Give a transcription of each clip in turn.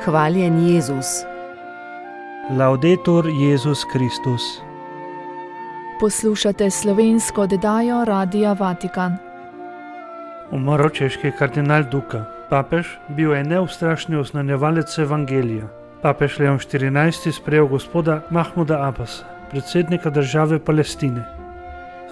Hvaljen Jezus. Laudetur Jezus Kristus. Poslušate slovensko oddajo Radia Vatikan. Umrl češki kardinal Duka. Papež bil je neustrašni oznanjevalec evangelija. Papež Leon XIV sprejel gospoda Mahmuda Abbasa, predsednika države Palestine.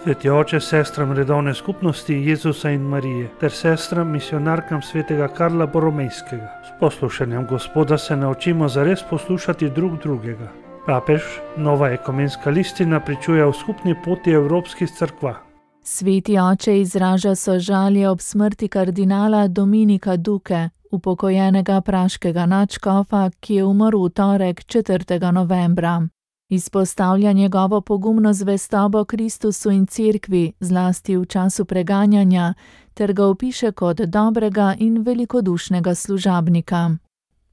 Sveti oče sestram redovne skupnosti Jezusa in Marije ter sestram misionarkam svetega Karla Boromejskega. S poslušanjem gospoda se naučimo zares poslušati drug drugega. Papež nova ekumenska listina pričuje o skupni poti evropskih cerkva. Sveti oče izraža sožalje ob smrti kardinala Dominika Duke, upokojenega praškega nadškofa, ki je umrl v torek 4. novembra. Izpostavlja njegovo pogumno zvestobo Kristusu in Cerkvi, zlasti v času preganjanja, ter ga opiše kot dobrega in velikodušnega služabnika.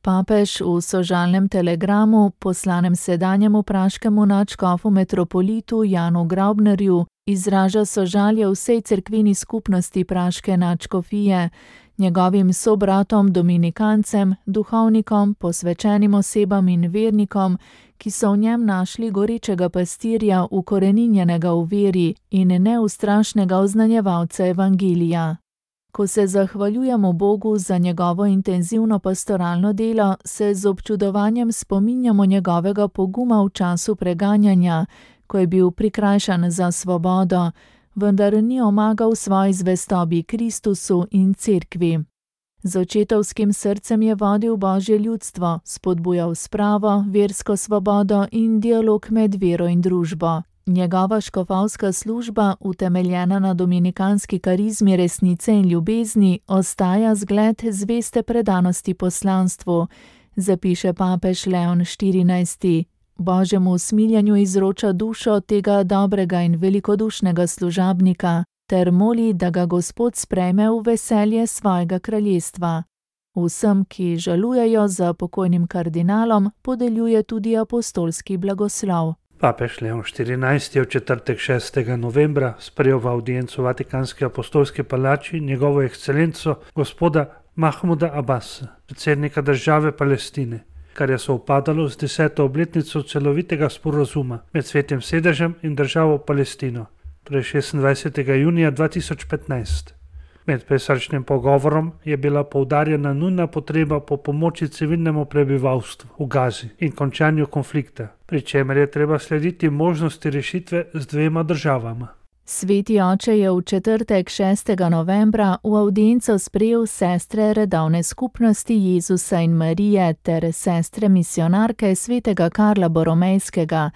Papež v sožalnem telegramu, poslanem sedanjemu praškemu nadškofu metropolitu Janu Graubnerju, izraža sožalje vsej cerkveni skupnosti praške nadškofije, njegovim sobratom dominikancem, duhovnikom, posvečenim osebam in vernikom, ki so v njem našli gorečega pastirja, ukoreninjenega v veri in neustrašnega oznanjevalca evangelija. Ko se zahvaljujemo Bogu za njegovo intenzivno pastoralno delo, se z občudovanjem spominjamo njegovega poguma v času preganjanja, ko je bil prikrajšan za svobodo, vendar ni omagal svoji zvestobi Kristusu in Cerkvi. Z očetovskim srcem je vodil Božje ljudstvo, spodbujal spravo, versko svobodo in dialog med vero in družbo. Njegova škofovska služba, utemeljena na dominikanski karizmi resnice in ljubezni, ostaja zgled zveste predanosti poslanstvu, zapiše papež Leon XIV. Božjemu usmiljanju izroča dušo tega dobrega in velikodušnega služabnika ter moli, da ga Gospod sprejme v veselje svojega kraljestva. Vsem, ki žalujejo za pokojnim kardinalom, podeljuje tudi apostolski blagoslov. Papež Leon XIV je v četrtek 6. novembra sprejel v audiencu v Vatikanski apostolski palači njegovo ekscelenco gospoda Mahmuda Abbasa, predsednika države Palestine, kar je sovpadalo z 10. obletnico celovitega sporazuma med Svetim sedežem in državo Palestino, torej 26. junija 2015. Med pesarčnim pogovorom je bila poudarjena nujna potreba po pomoči civilnemu prebivalstvu v Gazi in končanju konflikta, pri čemer je treba slediti možnosti rešitve z dvema državama. Sveti oče je v četrtek 6. novembra v audienco sprejel sestre redovne skupnosti Jezusa in Marije ter sestre misionarke svetega Karla Boromejskega,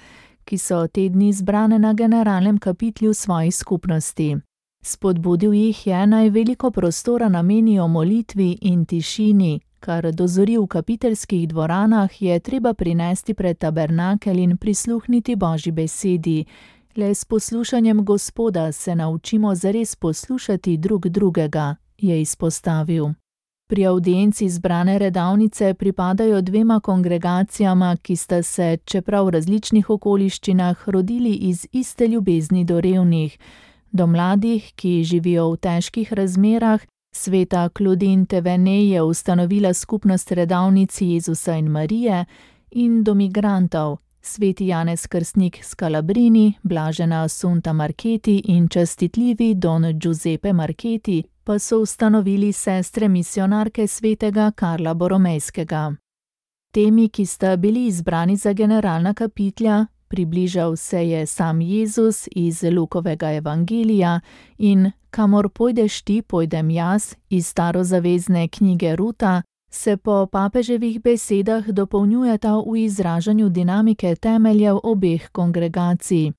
ki so te dni zbrane na generalnem kapitlju svojih skupnosti. Spodbudil jih je, naj veliko prostora namenijo molitvi in tišini, kar dozori v kapiteljskih dvoranah, je treba prinesti pred tabernakelj in prisluhniti Božji besedi. Le s poslušanjem Gospoda se naučimo zares poslušati drug drugega, je izpostavil. Pri audienci zbrane redavnice pripadajo dvema kongregacijama, ki sta se, čeprav v različnih okoliščinah, rodili iz iste ljubezni do revnih, do mladih, ki živijo v težkih razmerah. Sveta Claudine Thévenet je ustanovila skupnost redavnic Jezusa in Marije, in do migrantov. Sveti Janez Krstnik Scalabrini, blažena Assunta Marchetti in častitljivi Don Giuseppe Marchetti pa so ustanovili sestre misionarke svetega Karla Boromejskega. Temi, ki sta bili izbrani za generalna kapitlja, približal se je sam Jezus iz Lukovega evangelija in Kamor pojdeš ti, pojdem jaz iz starozavezne knjige Ruta, se po papeževih besedah dopolnjujeta v izražanju dinamike temeljev obeh kongregacij.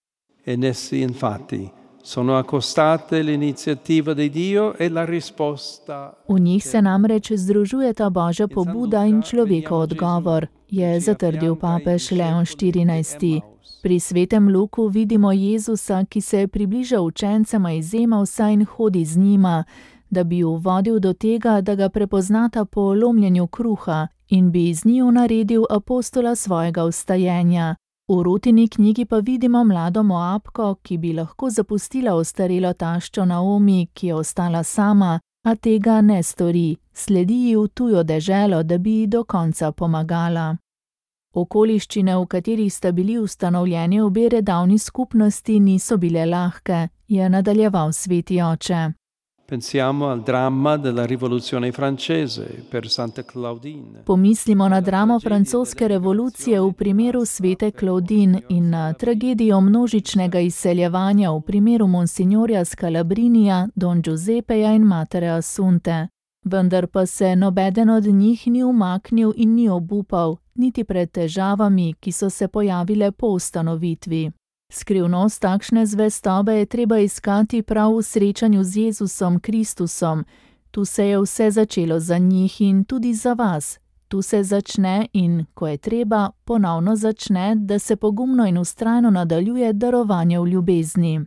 In essi infatti sono accostate l'iniziativa di Dio e la risposta. V njih se namreč združujeta Božja pobuda in človekov odgovor, je zatrdil papež Leon XIV. Pri svetem Luku vidimo Jezusa, ki se približa učencema iz Emavsa in hodi z njima, da bi ju vodil do tega, da ga prepoznata po lomljenju kruha in bi iz njiju naredil apostola svojega vstajenja. V Rutini knjigi pa vidimo mlado Moabko, ki bi lahko zapustila ostarelo taščo Naomi, ki je ostala sama, A tega ne stori, sledi ji v tujo deželo, da bi ji do konca pomagala. Okoliščine, v katerih sta bili ustanovljeni obe redavni skupnosti, niso bile lahke, je nadaljeval sveti oče. Pensiamo al dramma della rivoluzione francese per Santa Claudine. Pomislimo na dramo francoske revolucije v primeru svete Claudine in na tragedijo množičnega izseljevanja v primeru monsignorja Scalabrinija, don Giuseppeja in matere Assunte. Vendar pa se nobeden od njih ni umaknil in ni obupal, niti pred težavami, ki so se pojavile po ustanovitvi. Skrivnost takšne zvestobe je treba iskati prav v srečanju z Jezusom Kristusom. Tu se je vse začelo za njih in tudi za vas. Tu se začne in, ko je treba, ponovno začne, da se pogumno in vztrajno nadaljuje darovanje v ljubezni.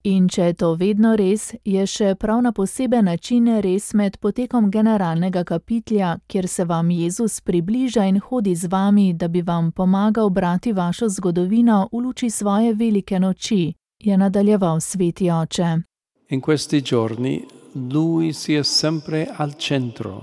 In če je to vedno res, je še prav na poseben način res med potekom generalnega kapitlja, kjer se vam Jezus približa in hodi z vami, da bi vam pomagal brati vašo zgodovino v luči svoje velike noči, je nadaljeval sveti oče. In questi giorni lui si è sempre al centro.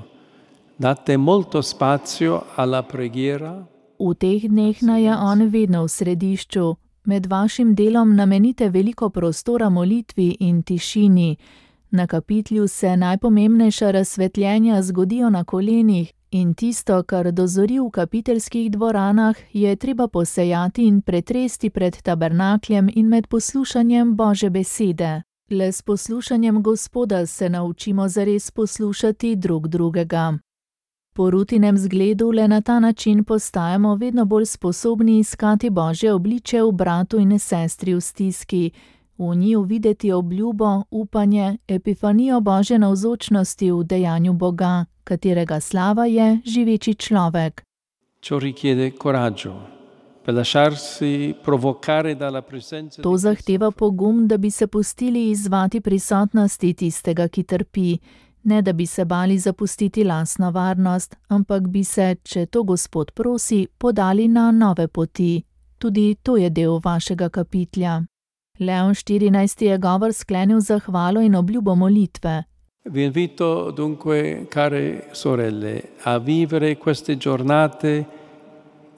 Date molto spazio alla preghiera. V teh dneh naj je on vedno v središču. Med vašim delom namenite veliko prostora molitvi in tišini. Na kapitlju se najpomembnejša razsvetljenja zgodijo na kolenih in tisto, kar dozori v kapiteljskih dvoranah, je treba posejati in pretresti pred tabernakljem in med poslušanjem Božje besede. Le s poslušanjem Gospoda se naučimo zares poslušati drug drugega. Po Rutinem zgledu le na ta način postajamo vedno bolj sposobni iskati Božje obliče v bratu in sestri v stiski, v njiju videti obljubo, upanje, epifanijo Božje navzočnosti v dejanju Boga, katerega slava je živeči človek. Ciò richiede coraggio per lasciarsi provocare dalla presenza. To zahteva pogum, da bi se pustili izzvati prisotnosti tistega, ki trpi. Ne da bi se bali zapustiti lastno varnost, ampak bi se, če to Gospod prosi, podali na nove poti. Tudi to je del vašega kapitlja. Leon XIV. Je govor sklenil zahvalo in obljubo molitve. Vi invito dunque, care sorelle, a vivere queste giornate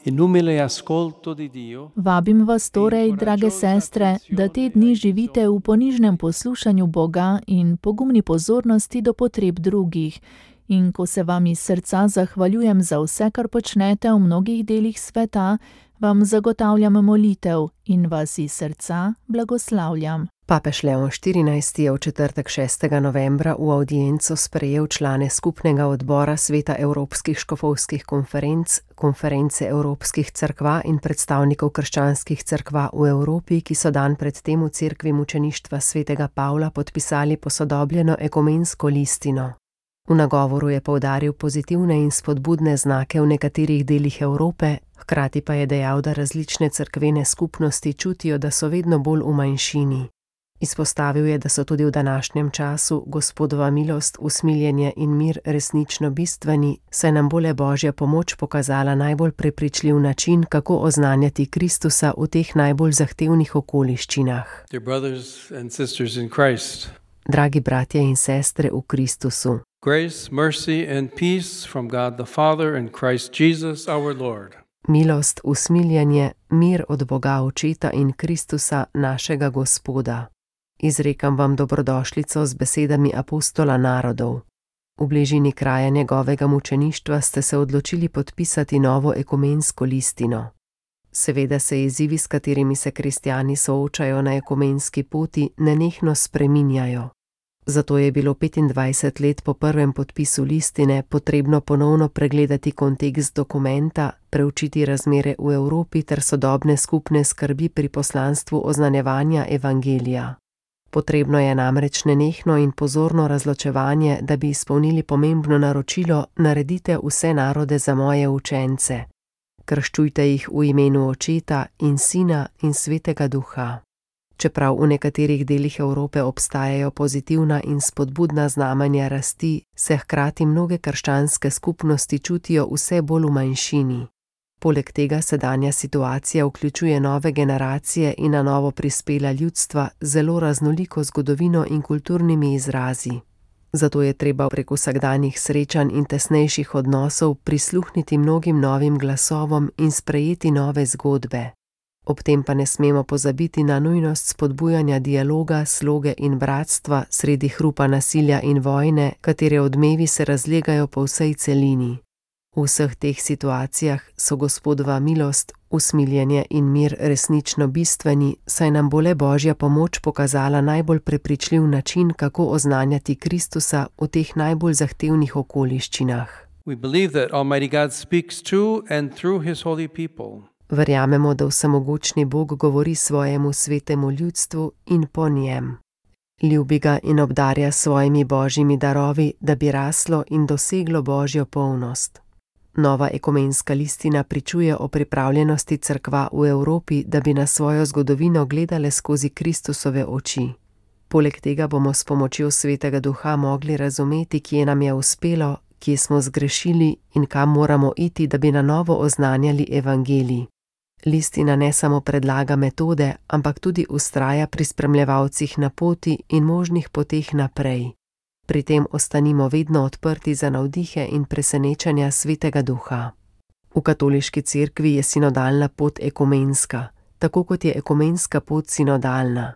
in umile ascolto di Dio. Vabim vas torej, drage sestre, da te dni živite v ponižnem poslušanju Boga in pogumni pozornosti do potreb drugih. In ko se vam iz srca zahvaljujem za vse, kar počnete v mnogih delih sveta, vam zagotavljam molitev in vas iz srca blagoslavljam. Papež Leon XIV. Je v četrtek 6. novembra v avdienco sprejel člane skupnega odbora Sveta Evropskih škofovskih konferenc, Konference Evropskih cerkva in predstavnikov krščanskih cerkva v Evropi, ki so dan pred tem v cerkvi mučeništva svetega Pavla podpisali posodobljeno ekumensko listino. V nagovoru je poudaril pozitivne in spodbudne znake v nekaterih delih Evrope, hkrati pa je dejal, da različne cerkvene skupnosti čutijo, da so vedno bolj v manjšini. Izpostavil je, da so tudi v današnjem času Gospodova milost, usmiljenje in mir resnično bistveni, saj nam bo le Božja pomoč pokazala najbolj prepričljiv način, kako oznanjati Kristusa v teh najbolj zahtevnih okoliščinah. Dragi bratje in sestre v Kristusu. Grace, mercy and peace from God the Father and Christ Jesus our Lord. Milost, usmiljenje, mir od Boga Očeta in Kristusa našega Gospoda. Izrekam vam dobrodošlico z besedami apostola narodov. V bližini kraja njegovega mučeništva ste se odločili podpisati novo ekumensko listino. Seveda se izzivi, s katerimi se kristjani soočajo na ekumenski poti, nenehno spreminjajo. Zato je bilo 25 let po prvem podpisu listine potrebno ponovno pregledati kontekst dokumenta, preučiti razmere v Evropi ter sodobne skupne skrbi pri poslanstvu oznanjevanja evangelija. Potrebno je namreč nenehno in pozorno razločevanje, da bi izpolnili pomembno naročilo: naredite vse narode za moje učence. Krščujte jih v imenu Očeta in Sina in Svetega Duha. Čeprav v nekaterih delih Evrope obstajajo pozitivna in spodbudna znamenja rasti, se hkrati mnoge krščanske skupnosti čutijo vse bolj v manjšini. Poleg tega sedanja situacija vključuje nove generacije in na novo prispela ljudstva z zelo raznoliko zgodovino in kulturnimi izrazi. Zato je treba prek vsakdanjih srečanj in tesnejših odnosov prisluhniti mnogim novim glasovom in sprejeti nove zgodbe. Ob tem pa ne smemo pozabiti na nujnost spodbujanja dialoga, sloge in bratstva sredi hrupa nasilja in vojne, katere odmevi se razlegajo po vsej celini. V vseh teh situacijah so Gospodova milost, usmiljenje in mir resnično bistveni, saj nam bo le Božja pomoč pokazala najbolj prepričljiv način, kako oznanjati Kristusa v teh najbolj zahtevnih okoliščinah. We believe that Almighty God speaks to and through His holy people. Verjamemo, da vsemogočni Bog govori svojemu svetemu ljudstvu in po njem. Ljubi ga in obdarja s svojimi božjimi darovi, da bi raslo in doseglo Božjo polnost. Nova ekumenska listina pričuje o pripravljenosti cerkva v Evropi, da bi na svojo zgodovino gledale skozi Kristusove oči. Poleg tega bomo s pomočjo Svetega Duha mogli razumeti, kje nam je uspelo, kje smo zgrešili in kam moramo iti, da bi na novo oznanjali evangelij. Listina ne samo predlaga metode, ampak tudi vztraja pri spremljevalcih na poti in možnih poteh naprej. Pri tem ostanimo vedno odprti za navdihe in presenečanja Svetega Duha. V katoliški cerkvi je sinodalna pot ekumenska, tako kot je ekumenska pot sinodalna.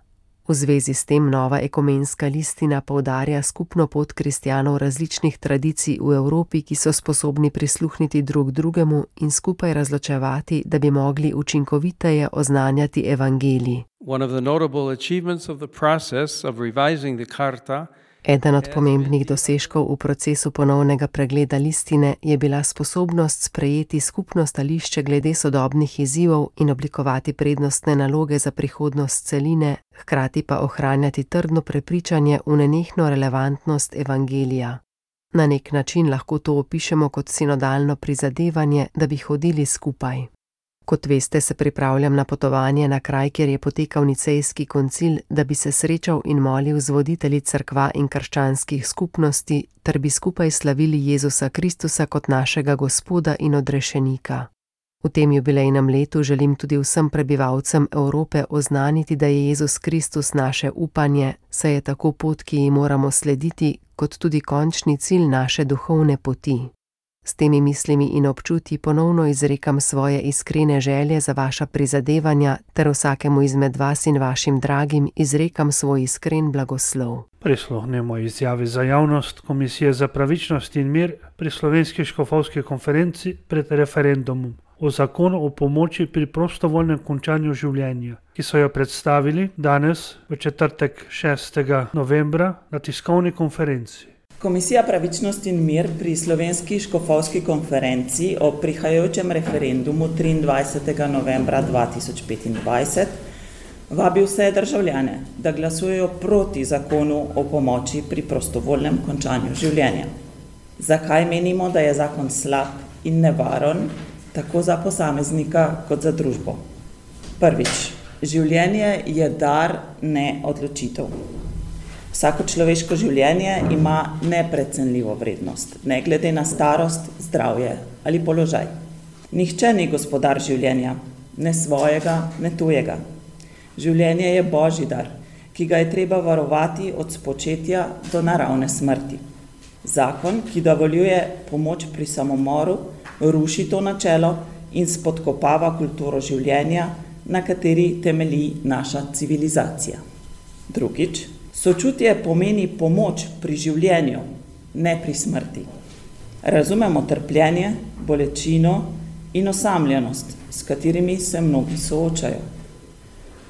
V zvezi s tem nova ekumenska listina poudarja skupno pot kristjanov različnih tradicij v Evropi, ki so sposobni prisluhniti drug drugemu in skupaj razločevati, da bi mogli učinkoviteje oznanjati evangelij. One of the notable achievements of the process of revising the Charta. Eden od pomembnih dosežkov v procesu ponovnega pregleda listine je bila sposobnost sprejeti skupno stališče glede sodobnih izzivov in oblikovati prednostne naloge za prihodnost celine, hkrati pa ohranjati trdno prepričanje v nenehno relevantnost evangelija. Na nek način lahko to opišemo kot sinodalno prizadevanje, da bi hodili skupaj. Kot veste, se pripravljam na potovanje na kraj, kjer je potekal nicejski koncil, da bi se srečal in molil z voditelji cerkva in krščanskih skupnosti, ter bi skupaj slavili Jezusa Kristusa kot našega Gospoda in odrešenika. V tem jubilejnem letu želim tudi vsem prebivalcem Evrope oznaniti, da je Jezus Kristus naše upanje, saj je tako pot, ki ji moramo slediti, kot tudi končni cilj naše duhovne poti. S temi mislimi in občutji ponovno izrekam svoje iskrene želje za vaša prizadevanja ter vsakemu izmed vas in vašim dragim izrekam svoj iskren blagoslov. Prisluhnemo izjavi za javnost Komisije za pravičnost in mir pri Slovenski škofovski konferenci pred referendumom o zakonu o pomoči pri prostovoljnem končanju življenja, ki so jo predstavili danes v četrtek 6. novembra na tiskovni konferenci. Komisija pravičnost in mir pri Slovenski škofovski konferenci o prihajajočem referendumu 23. novembra 2025 vabi vse državljane, da glasujejo proti zakonu o pomoči pri prostovoljnem končanju življenja. Zakaj menimo, da je zakon slab in nevaren tako za posameznika kot za družbo? Prvič, življenje je dar, ne odločitev. Vsako človeško življenje ima neprecenljivo vrednost, ne glede na starost, zdravje ali položaj. Nihče ni gospodar življenja, ne svojega, ne tujega. Življenje je Božji dar, ki ga je treba varovati od spočetja do naravne smrti. Zakon, ki dovoljuje pomoč pri samomoru, ruši to načelo in spodkopava kulturo življenja, na kateri temelji naša civilizacija. Drugič, sočutje pomeni pomoč pri življenju, ne pri smrti. Razumemo trpljenje, bolečino in osamljenost, s katerimi se mnogi soočajo.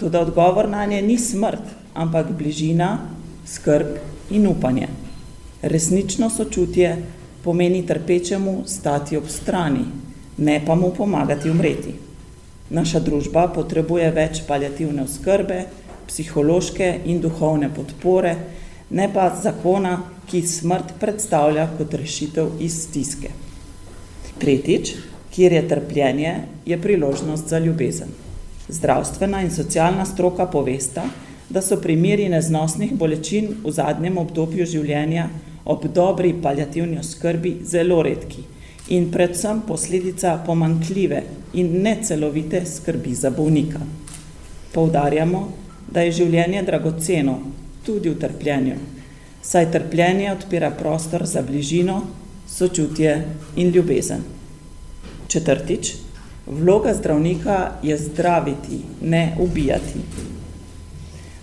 Toda odgovor nanje ni smrt, ampak bližina, skrb in upanje. Resnično sočutje pomeni trpečemu stati ob strani, ne pa mu pomagati umreti. Naša družba potrebuje več paliativne oskrbe, psihološke in duhovne podpore, ne pa zakona, ki smrt predstavlja kot rešitev iz stiske. Tretjič, kjer je trpljenje, je priložnost za ljubezen. Zdravstvena in socialna stroka povesta, da so primeri neznosnih bolečin v zadnjem obdobju življenja ob dobri paliativni oskrbi zelo redki in predvsem posledica pomanjkljive in necelovite skrbi za bolnika. Poudarjamo, da je življenje dragoceno tudi v trpljenju. saj trpljenje odpira prostor za bližino, sočutje in ljubezen. Četrtič, vloga zdravnika je zdraviti, ne ubijati.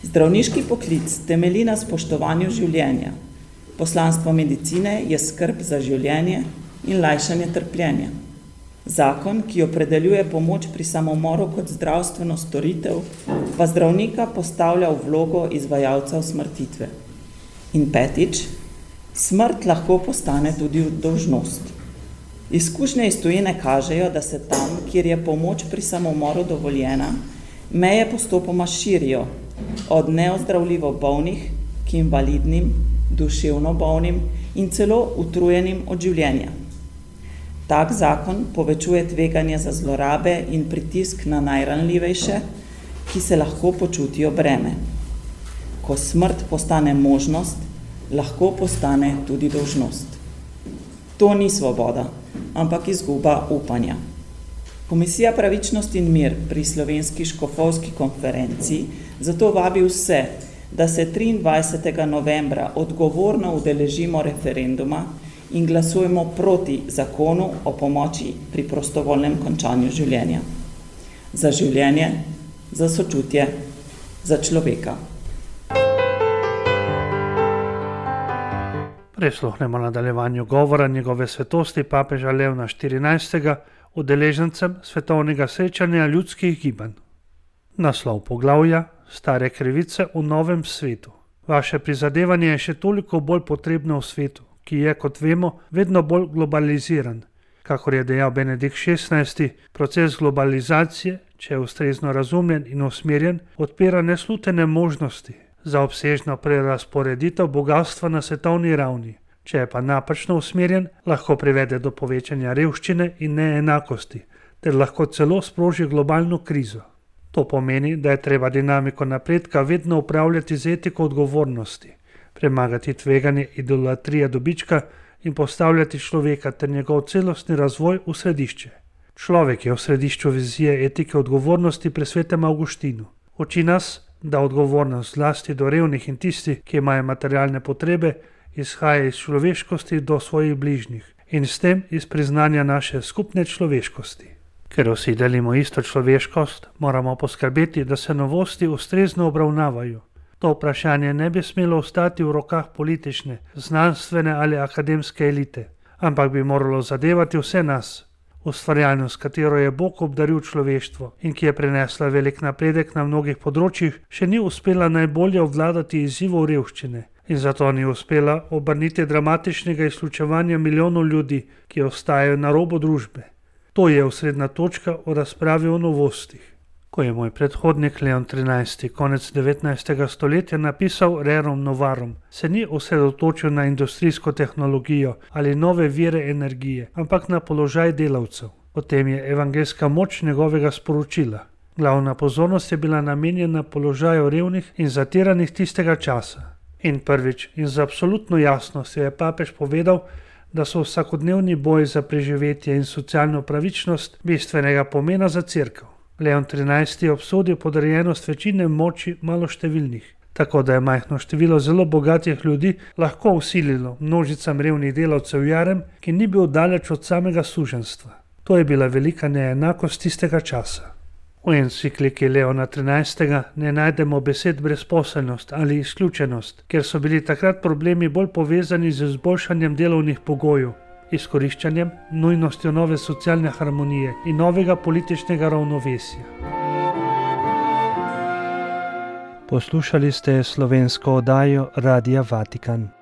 Zdravniški poklic temelji na spoštovanju življenja. Poslanstvo medicine je skrb za življenje in lajšanje trpljenja. Zakon, ki opredeljuje pomoč pri samomoru kot zdravstveno storitev, pa zdravnika postavlja v vlogo izvajalca usmrtitve. In petič, smrt lahko postane tudi dolžnost. Izkušnje iz tujine kažejo, da se tam, kjer je pomoč pri samomoru dovoljena, meje postopoma širijo, od neozdravljivo bolnih k invalidnim, duševno bolnim in celo utrujenim od življenja. Tak zakon povečuje tveganje za zlorabe in pritisk na najranljivejše, ki se lahko počutijo breme. Ko smrt postane možnost, lahko postane tudi dolžnost. To ni svoboda, ampak izguba upanja. Komisija Pravičnost in mir pri Slovenski škofovski konferenci zato vabi vse, da se 23. novembra odgovorno udeležimo referenduma in glasujemo proti zakonu o pomoči pri prostovoljnem končanju življenja. Za življenje, za sočutje, za človeka. Prisluhnemo nadaljevanju govora njegove svetosti papeža Leona XIV. Udeležencem svetovnega srečanja ljudskih gibanj. Naslov poglavja: Stare krivice v novem svetu. Vaše prizadevanje je še toliko bolj potrebno v svetu, ki je, kot vemo, vedno bolj globaliziran. Kakor je dejal Benedikt XVI, proces globalizacije, če je ustrezno razumljen in usmerjen, odpira neslutene možnosti za obsežno prerazporeditev bogastva na svetovni ravni. Če je pa napačno usmerjen, lahko privede do povečanja revščine in neenakosti, ter lahko celo sproži globalno krizo. To pomeni, da je treba dinamiko napredka vedno upravljati z etiko odgovornosti, premagati tveganje idolatrije dobička in postavljati človeka ter njegov celostni razvoj v središče. Človek je v središču vizije etike odgovornosti pri svetem Avguštinu. Uči nas, da odgovornost zlasti do revnih in tistih, ki imajo materialne potrebe, izhaja iz človeškosti do svojih bližnjih in s tem iz priznanja naše skupne človeškosti. Ker vsi delimo isto človeškost, moramo poskrbeti, da se novosti ustrezno obravnavajo. To vprašanje ne bi smelo ostati v rokah politične, znanstvene ali akademske elite, ampak bi moralo zadevati vse nas. Ustvarjalnost, katero je Bog obdaril človeštvo in ki je prinesla velik napredek na mnogih področjih, še ni uspela najbolje obvladati izzivov revščine in zato ni uspela obrniti dramatičnega izključevanja milijonov ljudi, ki ostajajo na robu družbe. To je osrednja točka v razpravi o novostih. Ko je moj predhodnik Leon XIII. Konec 19. stoletja napisal Rerum Novarum, se ni osredotočil na industrijsko tehnologijo ali nove vire energije, ampak na položaj delavcev. Potem je evangeljska moč njegovega sporočila. Glavna pozornost je bila namenjena položaju revnih in zatiranih tistega časa. In prvič in z absolutno jasnostjo je papež povedal, da so vsakodnevni boj za preživetje in socialno pravičnost bistvenega pomena za cerkev. Leon XIII. Je obsodil podrejenost večine moči maloštevilnih, tako da je majhno število zelo bogatih ljudi lahko vsililo množicam revnih delavcev jarem, ki ni bil daleč od samega suženjstva. To je bila velika neenakost tistega časa. V encikliki Leona XIII. Ne najdemo besed brezposelnost ali izključenost, ker so bili takrat problemi bolj povezani z izboljšanjem delovnih pogojev, izkoriščanjem, nujnostjo nove socialne harmonije in novega političnega ravnovesja. Poslušali ste slovensko oddajo Radia Vatikan.